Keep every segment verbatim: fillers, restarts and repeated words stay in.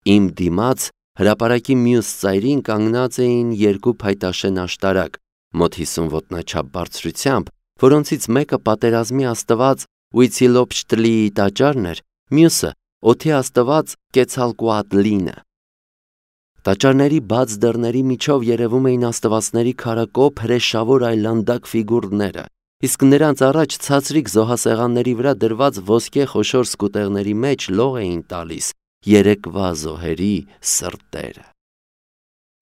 Իմ դիմաց հրապարակի մյուս ծայրին կանգնած էին երկու փայտաշեն աշտարակ, մոտ հիսուն ոտնաչափ բարձրությամբ, որոնցից մեկը պատերազմի աստված Ուիցիլոպշտլիի տաճարն էր, մյուսը օդի աստված Կեցալկուատլինը։ Տաճարների բաց դռների միջով երևում էին աստվածների քարակոփ հրեշավոր այլանդակ ֆիգուրները, իսկ նրանց առաջ ցածրիկ զոհասեղանների վրա դրված ոսկե խոշոր սկուտեղների մեջ լող էին տալիս երեկվա զոհերի սրտերը։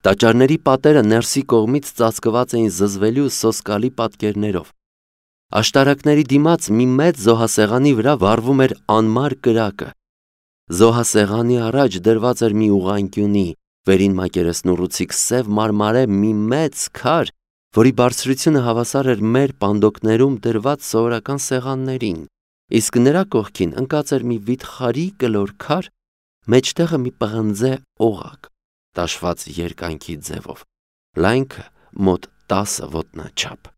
Տաճարների պատերը ներսի կողմից ծածկված էին զզվելի ու սոսկալի պատկերներով։ Աշտարակների դիմաց մի մեծ զոհասեղանի վրա վառվում էր անմար կրակը։ Զոհասեղանի առաջ դրված էր մի ուղղանկյունի, վերին մակերեսնուռուցիկ սև մարմարե մի մեծ քար, որի բարձրությունը հավասար էր մեր պանդոկներում դրված սովորական սեղաններին, իսկ նրա կողքին ընկած էր մի վիթխարի կլոր քար, մեջտեղը մի պղնձե օղակ, տաշված երկայնքի ձևով, լայնքը մոտ տասը ոտնաչափ։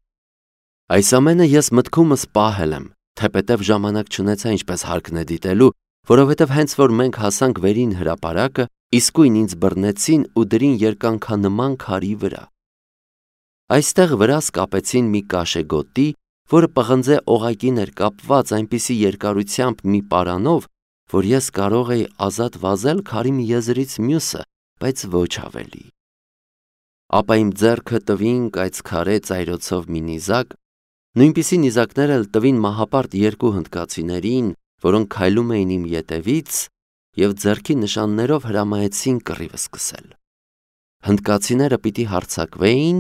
Այս ամենը ես մտքումս պահել եմ, թեպետև ժամանակ չունեցա ինչպես հարկն է դիտելու, որովհետև հենց որ մենք հասանք վերին հրապարակը, իսկույն ինձ բռնեցին ու դրին երկանքանման քարի վրա։ Այստեղ վրաս կապեցին մի կաշեգոտի, որը պղնձե օղակին էր կապված այնպիսի երկարությամբ մի պարանով, որ ես կարող էի ազատ վազել քարի մի եզրից մյուսը, բայց ոչ ավելի։ Ապա իմ ձեռքը տվին կայծքարե ծայրոցով մի նիզակ, նույնպիսի նիզակներ էլ տվին մահապարտ երկու հնդկացիներին, որոնք քայլում էին իմ ետևից և ձեռքի նշաններով հրամայեցին կռիվը սկսել։ Հնդկացիները պիտի հարձակվեին,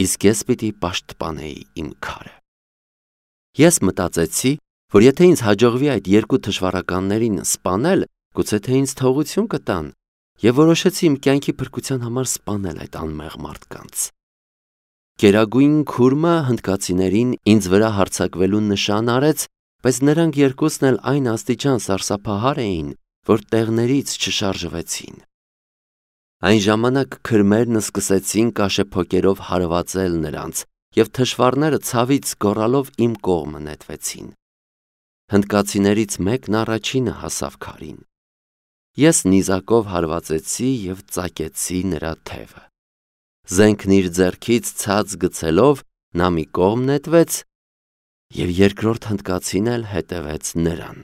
իսկ ես պիտի պաշտպանեի իմ քարը։ Ես մտածեցի, որ եթե ինձ հաջողվի այդ երկու թշվառականներին սպանել, գուցե թե ինձ թողություն կտան, և որոշեցի իմ կյանքի փրկության համար սպանել այդ անմեղ մարդկանց։ Գերագույն քուրմը հնդկացիներին ինձ վրա հարձակվելու նշան արեց, բայց նրանք երկուսն էլ այն աստիճան սարսափահար էին, որ տեղներից չշարժվեցին։ Այն ժամանակ քրմերն սկսեցին կաշեփոկերով հարվածել նրանց, և թշվառները ցավից գոռալով իմ կողմը նետվեցին։ Հնդկացիներից մեկն առաջինը հասավ քարին։ Ես նիզակով հարվածեցի և ծակեցի նրա թևը։ Զենքն իր ձեռքից ցած գցելով նա մի կողմ նետվեց, և երկրորդ հնդկացին էլ հետևեց նրան։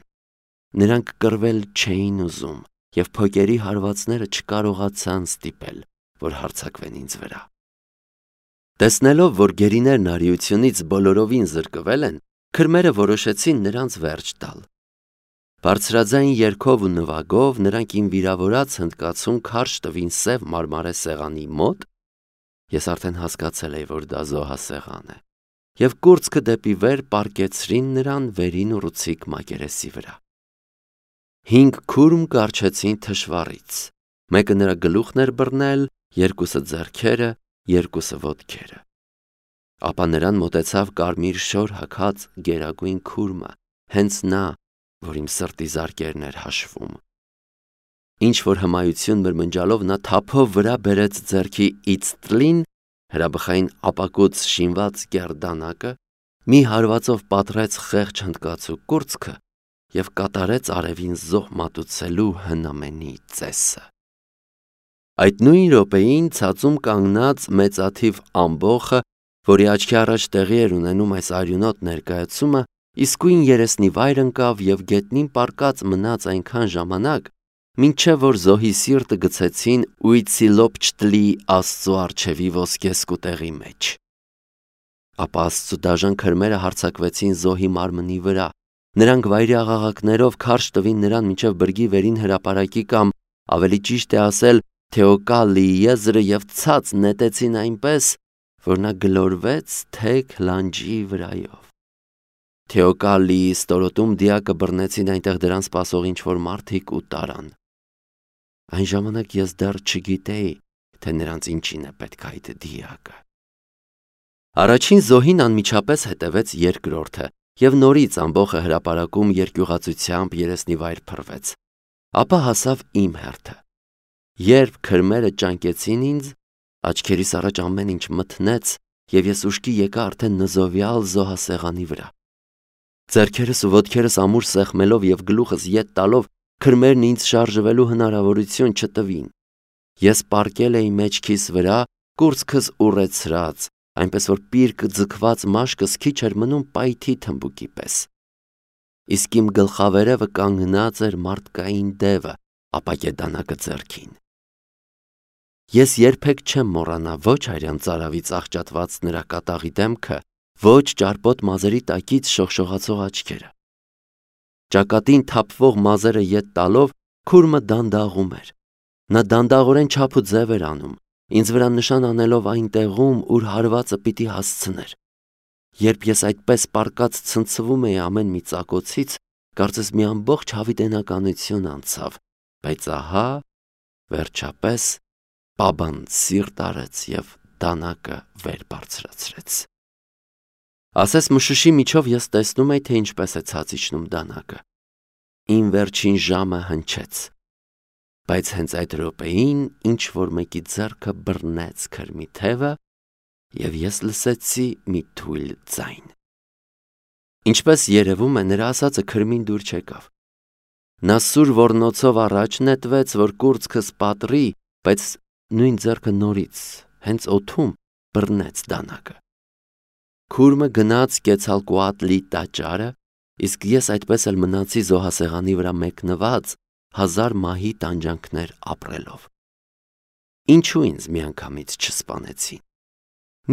Նրանք կռվել չէին ուզում, և փոկերի հարվածները չկարողացան ստիպել, որ հարձակվեն ինձ վրա։ Տեսնելով, որ գերիներն արիությունից բոլորովին զրկվել են, քրմերը որոշեցին նրանց վերջ տալ։ Բարձրաձայն երգով ու նվագով նրանք իմ վիրավորած հնդկացուն քարշ տվին սև մարմարե սեղանի մոտ, ես արդեն հասկացել էի, որ դա զոհասեղան է, և կուրծքը դեպի վեր պառկեցրին նրան վերին ուռուցիկ մակերեսի վրա։ Հինգ քուրմ կառչեցին թշվառից, մեկը նրա գլուխն էր բռնել, երկուսը ձեռքերը, երկուսը ոտքերը։ Ապա նրան մոտեցավ կարմիր շոր հագած գերագույն քուրմը, հենց նա, որ իմ սրտի զարկերն էր հաշվում։ Ինչ-որ հմայություն մրմնջալով նա թափով վրա բերեց ձեռքի իցտրին, հրաբխային ապակուց շինված գերդանակը, մի հարվածով պատռեց խեղճ հնդկացու կուրծքը և կատարեց արևին զոհ մատուցելու հնամենի ծեսը։ Այդ նույն րոպեին ցածում կանգնած մեծաթիվ ամբոխը, որի աչքի առաջ տեղի էր ունենում այս արյունոտ ներկայացումը, իսկույն երեսնի վայր ընկավ և գետնին պառկած մնաց այնքան ժամանակ, մինչև որ զոհի սիրտը գցեցին Ուիցիլոպշտլիի աստծու առջևի ոսկե սկուտեղի մեջ։ Ապա աստծու դաժան քրմերը հարձակվեցին զոհի մարմնի վրա, նրանք վայրի աղաղակներով քարշ տվին նրան մինչև բրգի վերին հրապարակի կամ, ավելի ճիշտ է ասել, Թեոկալիի եզրը և ցած նետեցին այնպես, որ նա գլորվեց թեք լանջի վրայով։ Թեոկալիի ստորոտում դիակը բռնեցին այնտեղ դրան սպասող ինչ-որ մարդիկ ու տարան։ Այն ժամանակ ես դեռ չգիտեի, թե նրանց ինչին է պետք այդ դիակը։ Առաջին զոհին անմիջապես հետևեց երկրորդը, և նորից ամբոխը հրապարակում երկյուղածությամբ երեսնի վայր փռվեց։ Ապա հասավ իմ հերթը։ Երբ քրմերը ճանկեցին ինձ, աչքերիս առաջ ամեն ինչ մթնեց, և ես ուշքի եկա արդեն նզովյալ զոհասեղանի վրա։ Ձեռքերս ու ոտքերս ամուր սեղմելով և գլուխս ետ տալով քրմերն ինձ շարժվելու հնարավորություն չտվին։ Ես պառկել էի մեջքիս վրա, կուրծքս ուռեցրած, այնպես որ պիրկ ձգված մաշկս քիչ էր մնում պայթի թմբուկի պես։ Իսկ իմ գլխավերևը կանգնած էր մարդկային դևը, ապակե դանակը ձեռքին։ Ես երբեք չեմ մոռանա ոչ հայրյան ծարավից աղճատված նրա կատաղի դեմքը, ոչ ճարպոտ մազերի տակից շողշողացող աչքերը։ Ճակատին թափվող մազերը ետ տալով քուրմը դանդաղում էր։ Նա դանդաղորեն չափ ու ձև էր անում, ինձ վրա նշան անելով այն տեղում, ուր հարվածը պիտի հասցներ։ Երբ ես այդպես պառկած ցնցվում էի ամեն մի ծակոցից, կարծես մի ամբողջ հավիտենականություն անցավ, բայց ահա, վերջապես, պաբան սիրտ արեց և դանակը վեր բարձրացրեց։ Ասես մշուշի միջով ես տեսնում էի, թե ինչպես է ցած իջնում դանակը։ Իմ վերջին ժամը հնչեց, բայց հենց այդ րոպեին ինչ-որ մեկի ձեռքը բռնեց քրմի թևը, և ես լսեցի մի թույլ ձայն։ Ինչպես երևում է, նրա ասածը քրմին դուր չեկավ։ Նա սուր ոռնոցով առաջ նետվեց, որ կուրծքս պատռի, բայց նույն ձեռքը նորից, հենց օդում, բռնեց դանակը։ Քուրմը գնաց կեցալկուատլի տաճարը, իսկ ես այդպես էլ մնացի զոհասեղանի վրա մեկնված, հազար մահի տանջանքներ ապրելով։ Ինչու ինձ միանգամից չսպանեցին։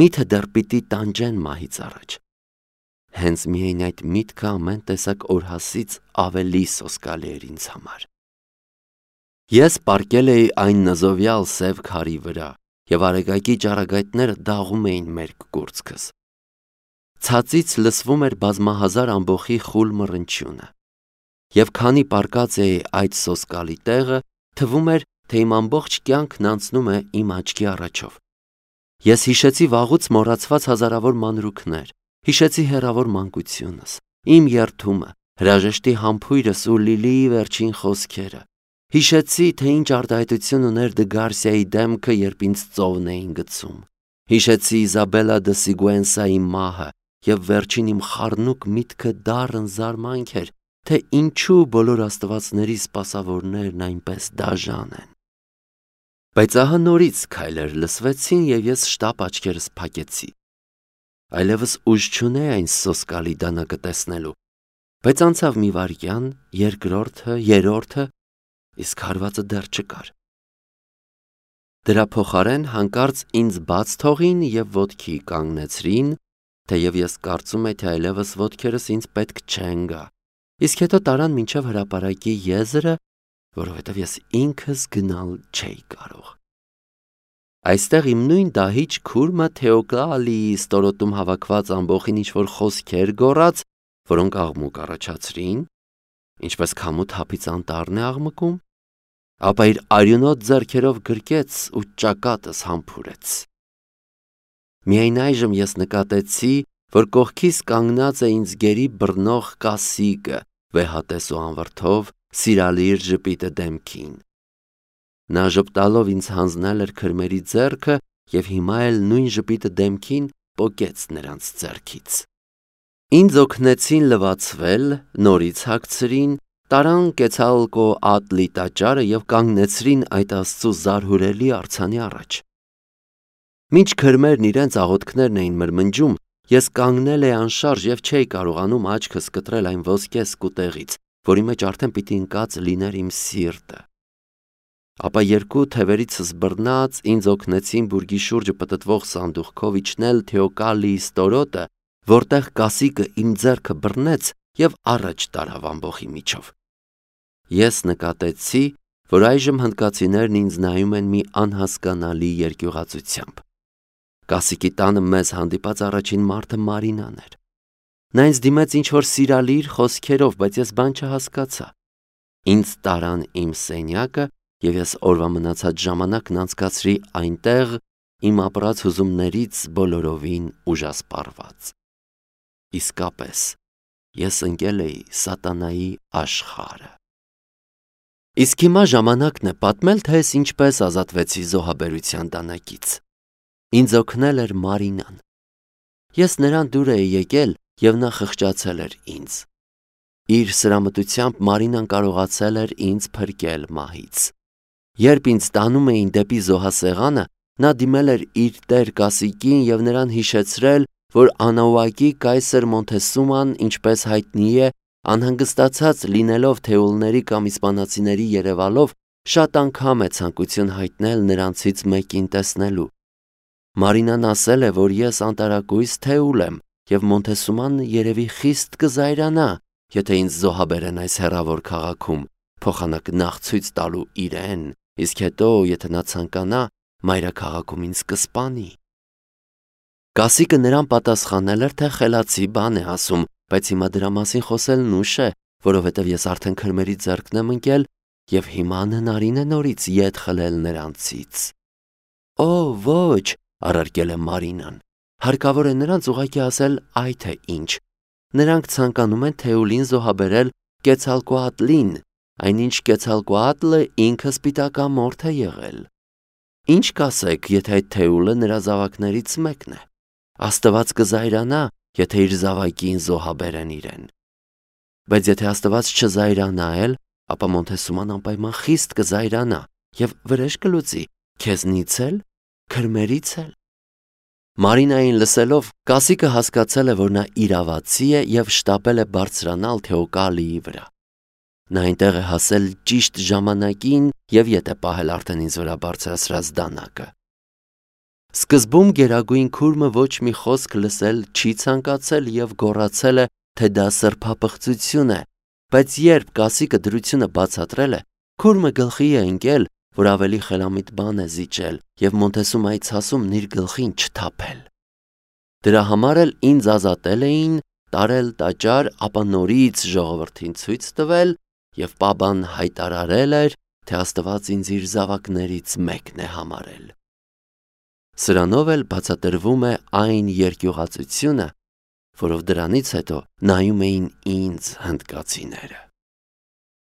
Միթե դեռ պիտի տանջեն մահից առաջ։ Հենց միայն այդ միտքը ամեն տեսակ օրհասից ավելի սոսկալի էր ինձ համար։ Ես պառկել էի այն նզովյալ սև քարի վրա, և արեգակի ճառագայթները դաղում էին մերկ կուրծքս։ Ցածից լսվում էր բազմահազար ամբոխի խուլ մռնչյունը։ Եվ քանի պառկած էի այդ սոսկալի տեղը, թվում էր, թե իմ ամբողջ կյանքն անցնում է իմ աչքի առաջով։ Ես հիշեցի վաղուց մոռացված հազարավոր մանրուքներ, հիշեցի հեռավոր մանկությունս, իմ երդումը, հրաժեշտի համբույրս ու Լիլիի վերջին խոսքերը։ Հիշեցի, թե ինչ արտահայտություն ուներ Դը Գարսիայի դեմքը, երբ ինձ ծովն էին գցում։ Հիշեցի Իզաբելլա դը Սիգուենսայի մահը, և վերջին իմ խառնուկ միտքը դառն զարմանք էր, թե ինչու բոլոր աստվածների սպասավորներն այնպես դաժան են։ Բայց ահա նորից քայլեր լսվեցին, և ես շտապ աչքերս փակեցի։ Այլևս ուժ չունեի այն սոսկալի դանակը տեսնելու, բայց անցավ մի վայրկյան, երկրորդը, երրորդը, իսկ հարվածը դեռ չկար։ Դրա փոխարեն հանկարծ ինձ բաց թողին և ոտքի կանգնեցրին, թեև ես կարծում էի, թե այլևս ոտքերս ինձ պետք չեն գա, իսկ հետո տարան մինչև հրապարակի եզրը, որովհետև ես ինքս գնալ չէի կարող։ Այստեղ իմ նույն դահիճ քուրմը Թեոկալիի ստորոտում հավաքված ամբոխին ինչ-որ խոսքեր գոռաց, որոնք աղմուկ առաջացրին, ինչպես քամու թափից անտառն է աղմկում, ապա իր արյունոտ ձեռքերով գրկեց ու ճակատս համբուրեց։ Միայն այժմ ես նկատեցի, որ կողքիս կանգնած է ինձ գերի բռնող կասիկը, վեհատես ու անվրդով, սիրալիր ժպիտը դեմքին։ Նա ժպտալով ինձ հանձնել էր քրմերի ձեռքը և հիմա էլ նույն ժպիտը դեմքին պոկեց նրանց ձեռքից։ Ինձ օգնեցին լվացվել, նորից հագցրին, տարան Կեցալկոատլի տաճարը և կանգնեցրին այդ Աստծու զարհուրելի արձանի առաջ։ Մինչ քրմերն իրենց աղոթքներն էին մրմնջում, ես կանգնել էի անշարժ և չէի կարողանում աչքս կտրել այն ոսկե սկուտեղից, որի մեջ արդեն պիտի ընկած լիներ իմ սիրտը։ Ապա երկու թևերիցս բռնած ինձ օգնեցին բուրգի շուրջը պտտվող սանդուղքով իջնել Թեոկալիի ստորոտը, որտեղ կասիկը իմ ձեռքը բռնեց և առաջ տարավ ամբոխի միջով։ Ես նկատեցի, որ այժմ հնդկացիներն ինձ նայում են մի անհասկանալի երկյուղածությամբ։ Կասիկի տանը մեզ հանդիպած առաջին մարդը Մարինան էր։ Նա ինձ դիմեց ինչ-որ սիրալիր խոսքերով, բայց ես բան չհասկացա։ Ինձ տարան իմ սենյակը, և ես օրվա մնացած ժամանակն անցկացրի այնտեղ, իմ ապրած հուզումներից բոլորովին ուժասպառված։ Իսկապես, ես ընկել էի սատանայի աշխարհը։ Իսկ հիմա ժամանակն է պատմել, թե ես ինչպես ազատվեցի զոհաբերության դանակից։ Ինձ օգնել էր Մարինան։ Ես նրան դուր էի եկել, և նա խղճացել էր ինձ։ Իր սրամտությամբ Մարինան կարողացել էր ինձ փրկել մահից։ Երբ ինձ տանում էին դեպի զոհասեղանը, նա դիմել էր իր տեր Կասիկին և նրան հիշեցրել, որ Անաուակի կայսր Մոնթեսուման, ինչպես հայտնի է, անհանգստացած լինելով թեուլների կամ իսպանացիների երևալով, շատ անգամ է ցանկություն հայտնել նրանցից մեկին տեսնելու։ Մարինան ասել է, որ ես անտարակույս թեուլ եմ, և Մոնթեսուման երևի խիստ կզայրանա, եթե ինձ զոհաբերեն այս հեռավոր քաղաքում, փոխանակ նախ ցույց տալու իրեն, իսկ հետո, եթե նա ցանկանա, մայրաքաղաքում ինձ կսպանի։ Կասիկը նրան պատասխանել էր, թե խելացի բան է ասում, բայց հիմա դրա մասին խոսելն ուշ է, որովհետև ես արդեն քրմերի ձեռքն եմ ընկել և հիմա հնարին է նորից ետ խլել նրանցից։ Օ, ոչ, առարկել է Մարինան, հարկավոր է նրանց ուղղակի ասել այ թե ինչ։ Նրանք ցանկանում են թեուլին զոհաբերել Կեցալկոատլին, այնինչ Կեցալկոատլը ինքը սպիտակամորթ է եղել։ Ինչ կասեք, եթե այդ թեուլը նրա զավակներից մեկն է։ Աստված կզայրանա, եթե իր զավակին զոհաբերեն իրեն։ Բայց եթե Աստված չզայրանա էլ, ապա Մոնթեսուման անպայման խիստ կզայրանա և վրեժ կլուծի, քեզնից էլ, քրմերից էլ։ Մարինային լսելով, Կասիկը հասկացել է, որ նա իրավացի է և շտապել է բարձրանալ Թեոկալիի վրա։ Նա այնտեղ է հասել ճիշտ ժամանակին և ետ է պահել արդեն ինձ վրա բարձրացրած դանակը։ Սկզբում գերագույն քուրմը ոչ մի խոսք լսել չի ցանկացել և գոռացել է, թե դա սրբապղծություն է, բայց երբ Կասիկը դրությունը բացատրել է, քուրմը գլխի է ընկել, որ ավելի խելամիտ բան է զիջել և Մոնթեսումայի ցասումն իր գլխին չթափել։ Դրա համար էլ ինձ ազատել էին, տարել տաճար, ապա նորից ժողովրդին ցույց տվել և Պաբան հայտարարել էր, թե Աստված ինձ իր զավակներից մեկն է համարել։ Սրանով էլ բացատրվում է այն երկյուղածությունը, որով դրանից հետո նայում էին ինձ հնդկացիները։